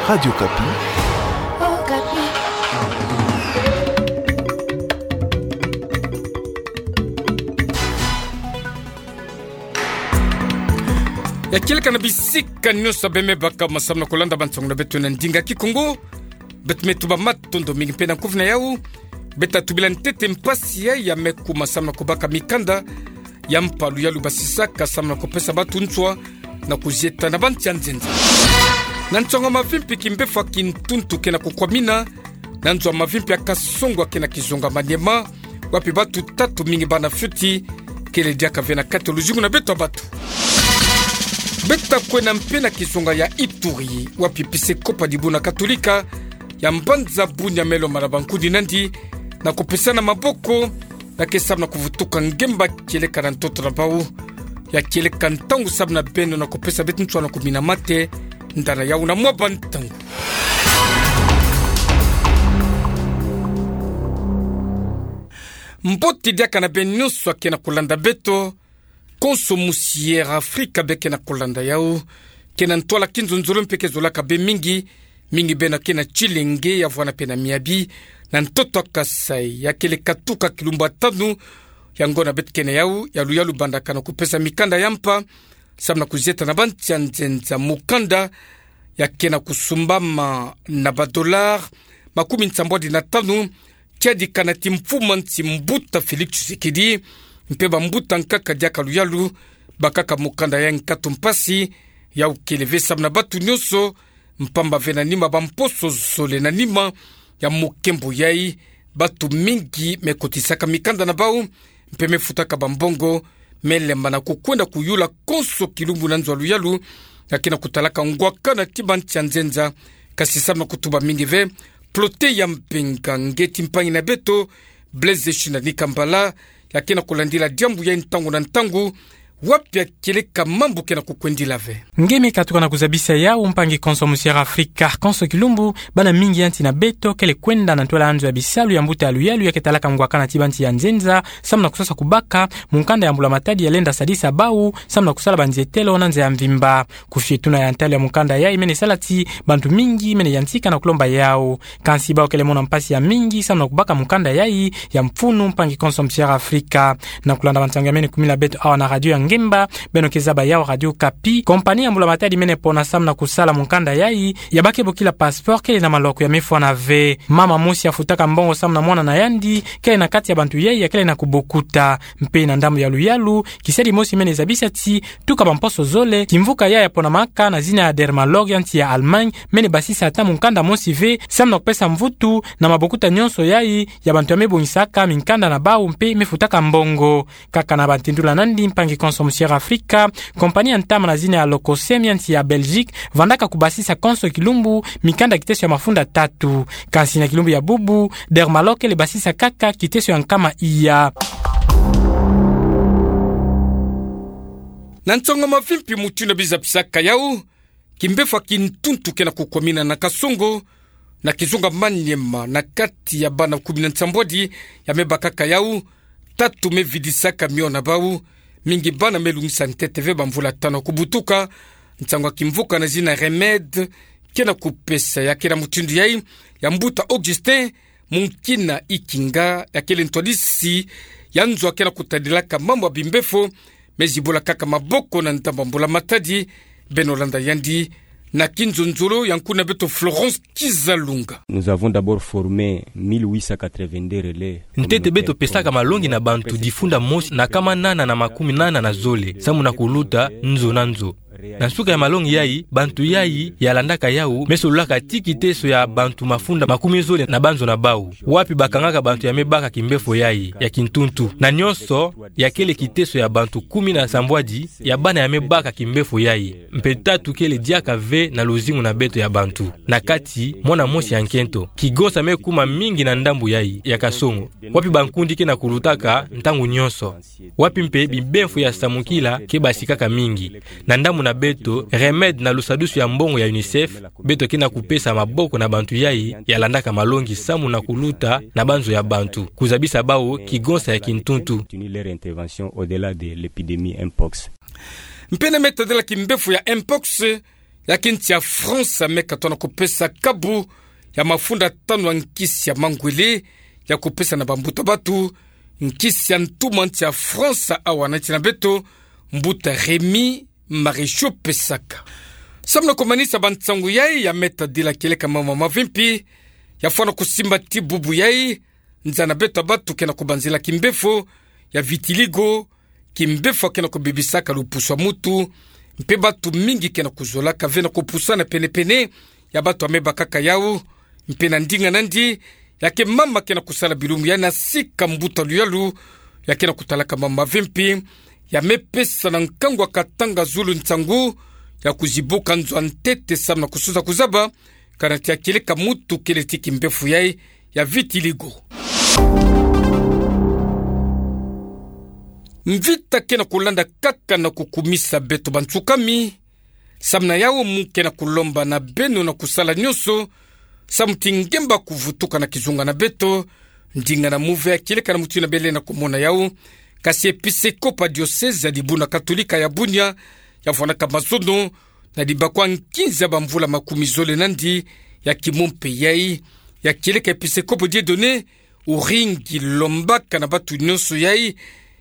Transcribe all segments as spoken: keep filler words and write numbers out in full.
Radio Okapi. Okapi. Ya kieleka na bisika nyonso beme baka ma samu na kulanda bansango na beto na ndinga Kikongo. Beto me tuba matondo mingi mpe na kuvina yau. Beta tubila ntete mpasi ya, ya me kuma samu na kubaka mikanda ya mpa luyalu basisaka samu na kupesa batu nswa na kuzieta na bansi ya nzenza. Na nsango mavimpi, kimbefo ya kintuntu ke na kukwamina na nzo ya mavimpi ya Kasongo ke na kizonga Maniema, wapi batu tatu mingi bana fioti kele diaka ve na kati ya luzingu na beto ya batu. Beta kwenda mpe na kizonga ya Ituri, wapi episekopo ya dibundu katolika ya mbanza Bunia me lomba na bankundi na yandi na kupesana maboko, na ke samu na kuvutuka ngemba kieleka na ntoto na bau. Ya kieleka ntangu samu na beno na kupesa beto nswa na kumina mate, ndana yau na mwa bantangu. Mbote diaka na beno nyonso ke na kulanda beto. Konso musi Air Afrika be ke na kulanda yau, ke na ntwala kinzonzolo mpe ke zolaka be mingi, mingi beno ke na Tshilenge ya vwanda mpe na miabi na ntoto ya Kasaï. Ya kieleka tuka kilumbu ya tanu ya ngonda beto ke na yau ya luyalu bandaka na kupesa mikanda ya mpa samu na kuzieta na bansi ya nzenza. Mukanda ya ke na kusumbama na ba dollars makumi nsambwadi na tanu, tiadikana ti mfumu a nsi mbuta Félix Tshisekedi mpe bambuta nkaka diaka luyalu bakaka mukanda ya nkatu mpasi. Yau kele ve samu na batu nyonso, mpamba ve na nima bamposo zole na nima ya mukembo yai, batu mingi me kotisaka mikanda na bau mpe me futaka bambongo, me lemba na kukwenda kuyula konso kilumbu na nzo ya luyalu, ya ke na kutalaka ngwakana ti bansi ya nzenza. Kasi samu na kutuba mingi ve, Plote ya Mbenga, nge ti mpangi na beto Blaise Shina Nikambala, ya ke na kulandila diambu yai ntangu na ntangu, wapi ya kieleka mambu ke na kukwendila ve. Nge me katuka na kuzabisa yau, mpangi konso musi Air Afrika. Konso kilumbu, bana mingi ya nsi na beto kele kwenda na ntwala ya nzo ya bisalu ya mbuta ya luyalu ya ke talaka ngwakana ti bansi ya nzenza, samu na kusosa kubaka mukanda ya mbula matadi ya lenda sadisa bau samu na kusala banzietelo na nza ya mvimba. Kufietuna ya ntalu ya mukanda yai mene sala ti bantu mingi mene yantika na kulomba yau. Kansi bau kele mona mpasi ya mingi samu na kubaka mukanda yai ya mfunu, mpangi konso musi Air Afrika. Na kulanda bansango ya mene kumila beto awa na radio ya ngemba, beno ke zaba yau Radio Okapi. Compagnie ya mbula matadi mene pona samu na kusala mukanda yai ya bake bokila passeport kele na maloko ya mefwana ve. Mama mosi afutaka mbongo samu na mwana na yandi kele na kati ya bantu yai ya kele na kubokuta. Mpe na ndambu ya luyalu, kisalu mosi mene zabisa ti tuka bamposo zole, kimvuka yai ya ponamaka na zina ya Dermalog ya nsi ya Allemagne mene basisa ata mukanda mosi ve samu na kupesa mvutu na mabokuta nyonso yai ya bantu ya me bongisaka mikanda na bau mpe me futaka mbongo. Kaka na bantindula na yandi, mpangi konso musi Air Afrika, compagnie ya ntama na zina ya Lococem ya nsi ya Belgique vandaka kubasisa konso kilumbu mikanda kiteso ya mafunda tatu. Kansi na kilumbu ya bubu, Dermalog kele basisa kaka kiteso ya nkama iya. Na nsango mavimpi mutindu bizapisaka yau, kimbefo ya kintuntu ke na kukwamina na Kasongo, na kizonga Maniema, na kati ya bana kumi na nsambwadi ya me bakaka yau, tatu me vidisaka mio na bau, mingi bana me lungisa ntete ve bamvula tanu kubutuka. Nsangu ya kimvuka na zina Remède ke na kupesa ya ke na mutindu yai ya mbuta Augustin Munkina Ikinga, ya kele ntwadisi ya nzo ya ke na kutadilaka mambu ya bimbefo, me zibula kaka maboko na ndambu ya mbula matadi. Beno landa yandi na kinzonzolo ya nkuna beto Florence Kizalunga. Nous avons d'abord formé mille huit cent quatre-vingt-deux relais. Ntete beto pesaka malongi na bantu difunda mosi na nkama nana na makumi nana na zole, samu na kuluta nzo na nzo. Na nsuka ya malongi yai, bantu yai ya landaka yau me sololaka ti kiteso ya bantu mafunda makumi zole na banzo na bau, wapi bakangaka bantu ya me baka kimbefo yai ya kintuntu. Na nyonso, ya kele kiteso ya bantu kumi na nsambwadi ya bana ya me baka kimbefo yai. Mpe tatu kele diaka ve na luzingu na beto ya bantu. Na kati, mwana mosi ya nkento. Kigonsa me kuma mingi na ndambu yai ya Kasongo, wapi bankundi ke na kulutaka ntangu nyonso, wapi mpe bimbefo ya samukila ke basikaka mingi. Na ndambu na beto, Remède na lusadusu ya mbongo ya UNICEF, beto ke na kupesa maboko na bantu yai ya landaka malongi samu na kuluta na banzo ya bantu, kuzabisa bau kigonsa ya kintuntu. Continuer leur intervention au-delà de l'épidémie mpox. Mpe na me tadila kimbefo ya mpox, Ya ke nsi ya France me katona kupesa kabu ya mafunda tanu ya nkisi ya mangwele ya kupesa na bambuta batu, nkisi ya ntuma nsi ya France awa na nsi na beto, mbuta Rémy Maréchaux pesaka. Samu na kumanisa bansangu yai ya meta dila kieleka mama mavimpi, ya fwana kusimba ti bubu yai, nza na beto ya batu kena kubanzila kimbefo ya vitiligo, kimbefo kena kubebisaka lupusu ya mutu, mpe batu mingi kena kuzolaka ve na kupusana pene-pene ya batu ya mebakaka yau, mpe na ndinga nandi, ya ke mama kena kusala bilumbu ya na sika mbuta luyalu, ya kena kutalaka mama mavimpi, ya mepesa na nkangu ya katanga zulu nsangu, ya kuzibuka nzo ya ntete samu na kususa kuzaba, kana tia kieleka mutu kele ti kimbefo yai ya vitiligo. Mvita kena kulanda kaka na kukumisa beto bansukami, samu na yau mu kena kulomba na beno na kusala nionso, samu ti ngemba kuvutuka na kizunga na beto, ndinga na muve ya kieleka na mutu ina bele na kumona yau, kasi episekopo ya dioseze ya dibuna katolika ya Bunia, ya fwanaka mazono, na dibakwa nkinza bamvula makumi zole nandi ya kimompe yai, ya kieleka episekopo Dieudonné Uringi lombaka na batu nionso yai,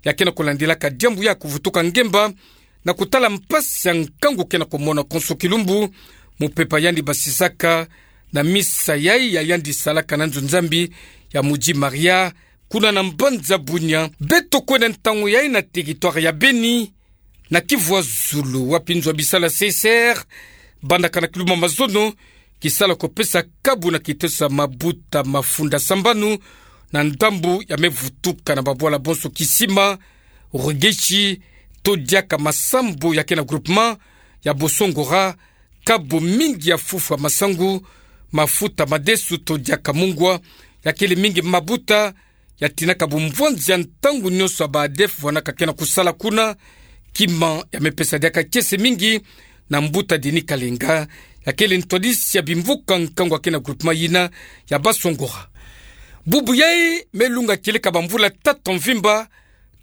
ya kena kulandilaka diambu ya kuvutuka ngemba, na kutala mpasi ya nkangu kena kumona konso kilumbu, mupepa yandi basisaka, na misa yai ya yandi salaka na nzo Nzambi ya Mudji Maria, kuna na mbanza Bunia. Beto kwenda ntangu yai na territoire ya Beni, na Kivu ya Zulu, wapi nzo ya bisalu ya C I C R, bandaka na kilumbu ya mazono, kisala kupesa kabu na kiteso ya mabuta mafunda sambanu, na ndambu ya mevutuka na babwala bonso Kisima, Rugeshi, to diaka Masambo ya kena groupement ya Bosongora, kabu mingi ya fufu ya masangu, mafuta madesu to diaka mungwa, ya kele mingi mabuta, ya tinaka bumvwanzi ya ntangu nionso ya ba ADEF fwanaka kena kusala kuna, kima ya mepesa diaka kiese mingi na mbuta Denis Kalenga, ya kele ntwadisi ya bimvuka nkangu ya kena groupement yina ya Bosongora. Bubu yai melunga kieleka bamvula tatu ya mvimba,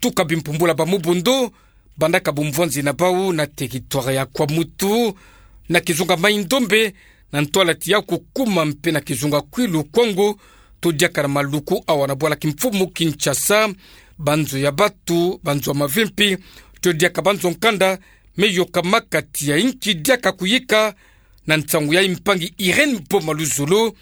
tuka bimpumbula ba Mubondo, bandaka bumvwanzi na bau na territoire ya Kwamouth, na kizunga Mai-Ndombe, na ntwala ti ya Kukuma mpe na kizunga Kwilu Kwango, to diaka na Maluku awa na bwala kimfumu Kinshasa, banzo ya batu, banzo ya mavimpi, to diaka banzo nkanda, meyokamaka ti ya inki diaka kuyika, na nsangu ya mpangi Irène Boma Luzolo,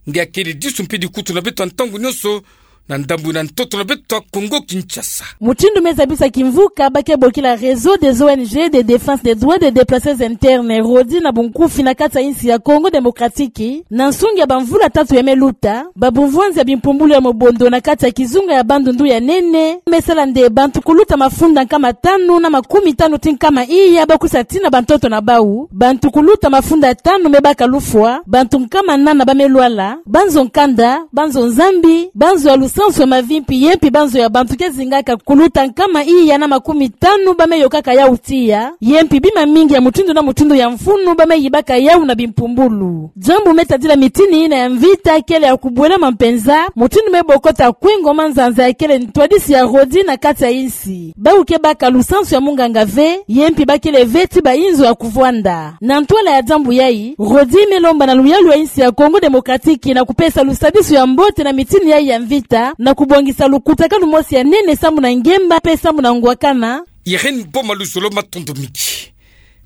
nge akele disu mpe dikutu na beto ya ntangu nionso, na ndambu na ntoto na beto ya Kongo Kinshasa. Mutindu meza biso kimvuka, ba ke bokila Réseau des O N G de défense des droits des déplacés internes, RODIDH na bunkufi, na kati ya insi ya Congo Démocratique, na nsungi ya bamvula tatu ya meluta, babumvwanzi ya bimpumbulu ya Mubondo na kati ya kizunga ya Bandundu ya nene, mesala nde bantu kuluta mafunda nkama tanu na makumi tanu ti nkama iya ba kusa tina bantoto na bau, bantu kuluta mafunda tanu mebaka lufwa, bantu nkama nana ba melwala, banzo nkanda, banzo Nzambi, banzo ya lusansu ya mavimpi, ye mpi banzo ya bantu ke zingaka kuluta nkama iya na makumi tanu ba meyokaka yau tiya, ye mpi bima mingi ya mutindu na mutindu ya mfunu ba meyibaka yau na bimpumbulu. Diambu me tadila mitini yina ya mvita kele ya kubwelama mpenza, mutindu me bokota kwe ngoma nzanza ya kele ntwadisi ya RODIDH na kati ya insi. Bau ke baka lusansu ya munganga ve, ye mpi ba kele ve ti ba inzo ya kuvwanda. Na ntwala ya diambu yai, RODIDH me lomba na luyalu ya insi ya Congo Démocratique na kupesa lusadisu ya mbote na mitini yai ya mvita, na kubongisa lukutakanu mosi ya nene sambu na ngemba mpe sambu na ngwakana. Irène Boma Luzolo, matondo mingi.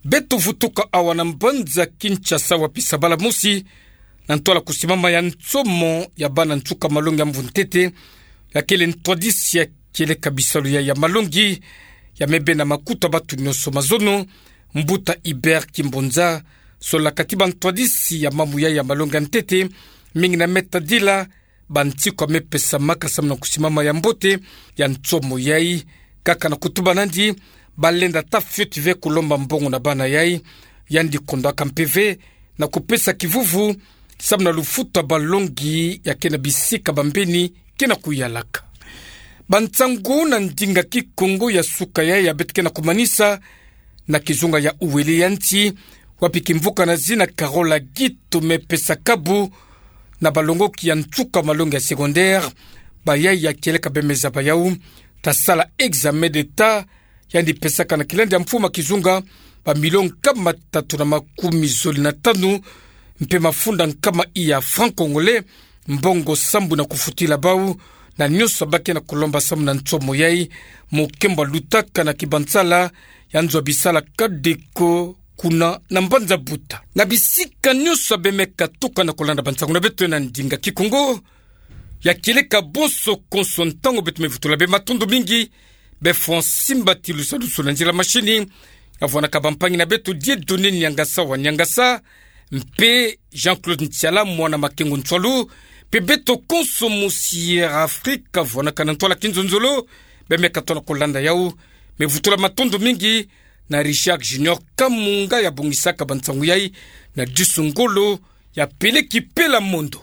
Beto vutuka awa na mbanza Kinshasa wapi sabala mosi, na ntwala kusimama ya nsomo ya bana nsuka malongi ya mvu ntete, ya kele ntwadisi ya kieleka bisalu ya, ya malongi, ya me bena makutu ya batu nionso mazono, mbuta Hubert Kimbonza, solaka ti bantwadisi ya mamu ya, ya malongi ya ntete, mingi na me tadila bansiku ya me pesamaka samu na kusimama ya mbote ya nsomo yai, kaka na kutuba nandi, ba lenda ata fioti ve kulomba mbongo na bana yai, yandi kondwaka mpe ve na kupesa kivuvu samu na lufuta balongi ya ke na bisika bambeni ke na kuyalaka. Bansangu na ndinga Kikongo ya suka yai ya beto ke na kumanisa na kizunga ya Uele ya nsi, wapi kimvuka na zina Carole Aguito me pesa kabu na balongoki ya nsuka malongi ya secondaire, bayai ya kieleka bemeza bayau ta sala examen d'État, yandi pesaka na kilandi ya mfuma kizunga bamilio nkama tatu na makumi zole na tanu, mpe mafunda nkama iya franc congolais, mbongo sambu na kufutila bau, na nionso abaki na kolomba samu na nsomo yai, mokembo alutaka na kibansala ya nzo ya bisala Kadeco, kuna na Mbanza Buta. Na bisika nionso bemeka tuka na kolanda bansangu na beto na ndinga Kikongo, ya kieleka bonso konso ntangu beto mevutula bê, matondo mingi. Bê Francis Mbatilu, sadusu na nzila mashini, avwanaka bampangi na beto Dieudonné Niangasa wa Niangasa, mpe Jean-Claude Ntiala, mwana Makengo Ntsoilu, mpe beto konso mu Sierra Africa, avwanaka na ntwala kinzonzolo, bemeka tona kolanda yau. Mevutula matondo mingi na Richard Junior Kamunga, ya bongisaka bansangu yai na disu ngolo, ya peleki pela mondo.